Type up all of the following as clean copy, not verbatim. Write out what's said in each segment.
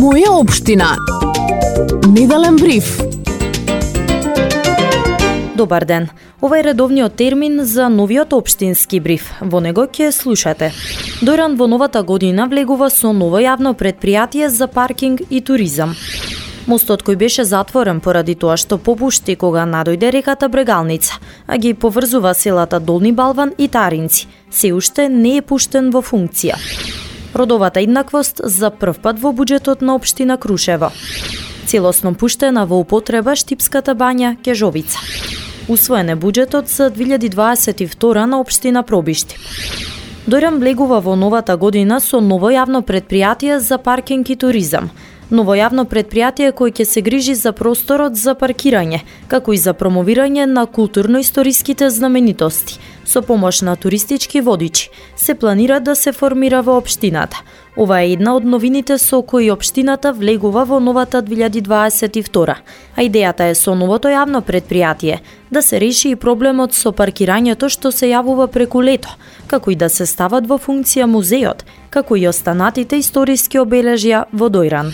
Моја општина. Неделен бриф. Добар ден. Ова е редовниот термин за новиот општински бриф. Во него ќе слушате. Дојран во новата година влегува со ново јавно претпријатие за паркинг и туризам. Мостот кој беше затворен поради тоа што попушти кога надојде реката Брегалница, а ги поврзува селата Долни Балван и Таринци, се уште не е пуштен во функција. Родовата еднаквост за прв пат во буџетот на општина Крушево. Целосно пуштена во употреба Штипската бања Кежовица. Усвоен е буџетот за 2022 на општина Пробишти. Дојран влегува во новата година со ново јавно претпријатие за паркинг и туризам. Ново јавно претпријатие кој ќе се грижи за просторот за паркирање, како и за промовирање на културно-историските знаменитости. Со помош на туристички водичи се планира да се формира во општината. Ова е една од новините со кои општината влегува во новата 2022. А идејата е со новото јавно претпријатие да се реши и проблемот со паркирањето што се јавува преку лето, како и да се стават во функција музеот, како и останатите историски обележја во Дојран.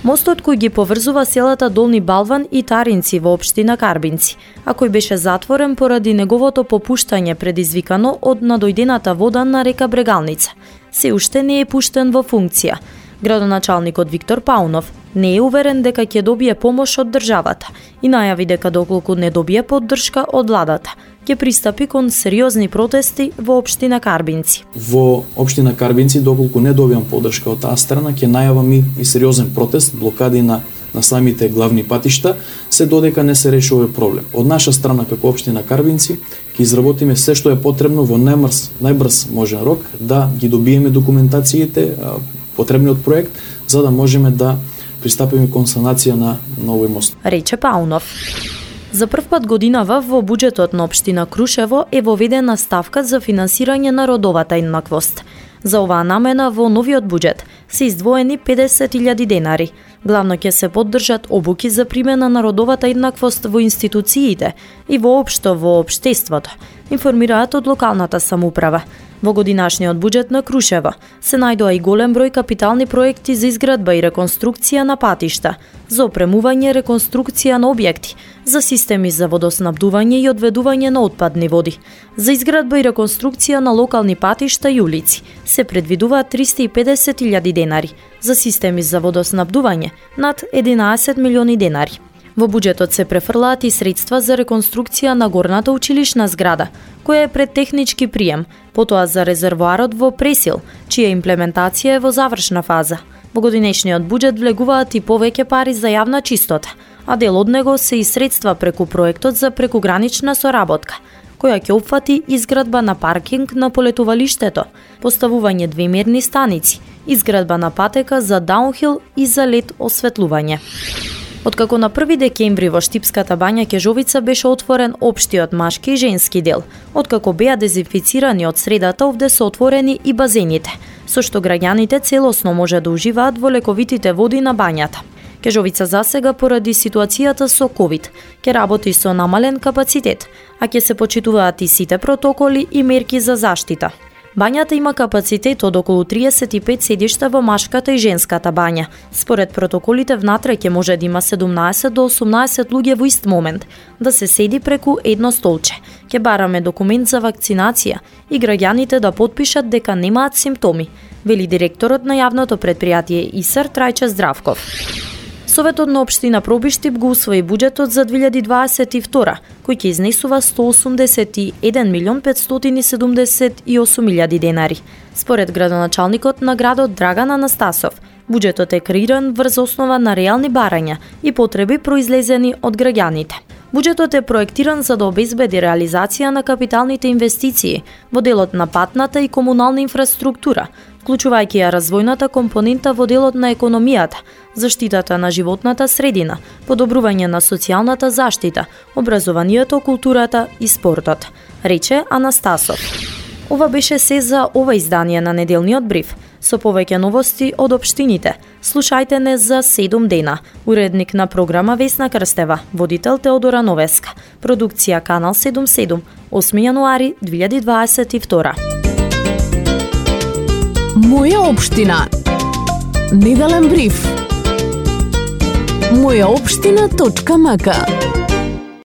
Мостот кој ги поврзува селата Долни Балван и Таринци во општина Карбинци, а кој беше затворен поради неговото попуштање предизвикано од надојдената вода на река Брегалница, се уште не е пуштен во функција. Градоначалникот Виктор Паунов не е уверен дека ќе добие помош од државата и најави дека доколку не добие поддршка од владата, ќе пристапи кон сериозни протести во општина Карбинци. Во општина Карбинци, доколку не добиам поддршка од таа страна, ќе најавам и сериозен протест, блокади на самите главни патишта, се додека не се реши овој проблем. Од наша страна, како општина Карбинци, ќе изработиме се што е потребно во најбрз можен рок да ги добиеме документациите, потребниот проект, за да можеме да пристапиме кон санација на овој мост. Рече Паунов. За прв пат годинава во буџетот на општина Крушево е воведена ставка за финансирање на родовата еднаквост. За оваа намена во новиот буџет се издвоени 50.000 денари. Главно ќе се поддржат обуки за примена на родовата еднаквост во институциите и воопшто во општеството, информираат од локалната самоуправа. Во годинашниот буџет на Крушево се најдоа и голем број капитални проекти за изградба и реконструкција на патишта, за опремување, реконструкција на објекти, за системи за водоснабдување и одведување на отпадни води. За изградба и реконструкција на локални патишта и улици се предвидуваат 350.000 денари, за системи за водоснабдување над 11 милиони денари. Во буџетот се префрлаат и средства за реконструкција на горната училишна зграда, која е пред технички прием, потоа за резервоарот во Пресил, чија имплементација е во завршна фаза. Во годинешниот буџет влегуваат и повеќе пари за јавна чистота, а дел од него се и средства преку проектот за прекугранична соработка, која ќе опфати изградба на паркинг на полетувалиштето, поставување двемерни станици, изградба на патека за даунхил и за лед осветлување. Откако на 1 декември во Штипската бања Кежовица беше отворен општиот машки и женски дел, откако беа дезинфицирани од средата, овде се отворени и базените, со што граѓаните целосно може да уживаат во лековитите води на бањата. Кежовица засега поради ситуацијата со ковид ќе работи со намален капацитет, а ќе се почитуваат и сите протоколи и мерки за заштита. Бањата има капацитет од околу 35 седишта во машката и женската бања. Според протоколите внатре ќе може да има 17 до 18 луѓе во ист момент, да се седи преку едно столче. Ќе бараме документ за вакцинација и граѓаните да потпишат дека немаат симптоми, вели директорот на јавното претпријатие ИСР Трајче Здравков. Советот на општина Пробиштип го усвои буџетот за 2022, кој ќе изнесува 181.578.000 денари. Според градоначалникот на градот Драган Анастасов, буџетот е креиран врз основа на реални барања и потреби произлезени од граѓаните. Буџетот е проектиран за да обезбеди реализација на капиталните инвестиции во делот на патната и комунална инфраструктура, вклучувајќи ја развојната компонента во делот на економијата, заштитата на животната средина, подобрување на социјалната заштита, образованието, културата и спортот, рече Анастасов. Ова беше се за ова издание на неделниот бриф. Со повеќе новости од општините, слушајте не за 7 дена. Уредник на програма Весна Крстева, водител Теодора Новеска. Продукција Канал 77, 8 јануари 2022. Моја општина. Неделен бриф. mojaopština.mk.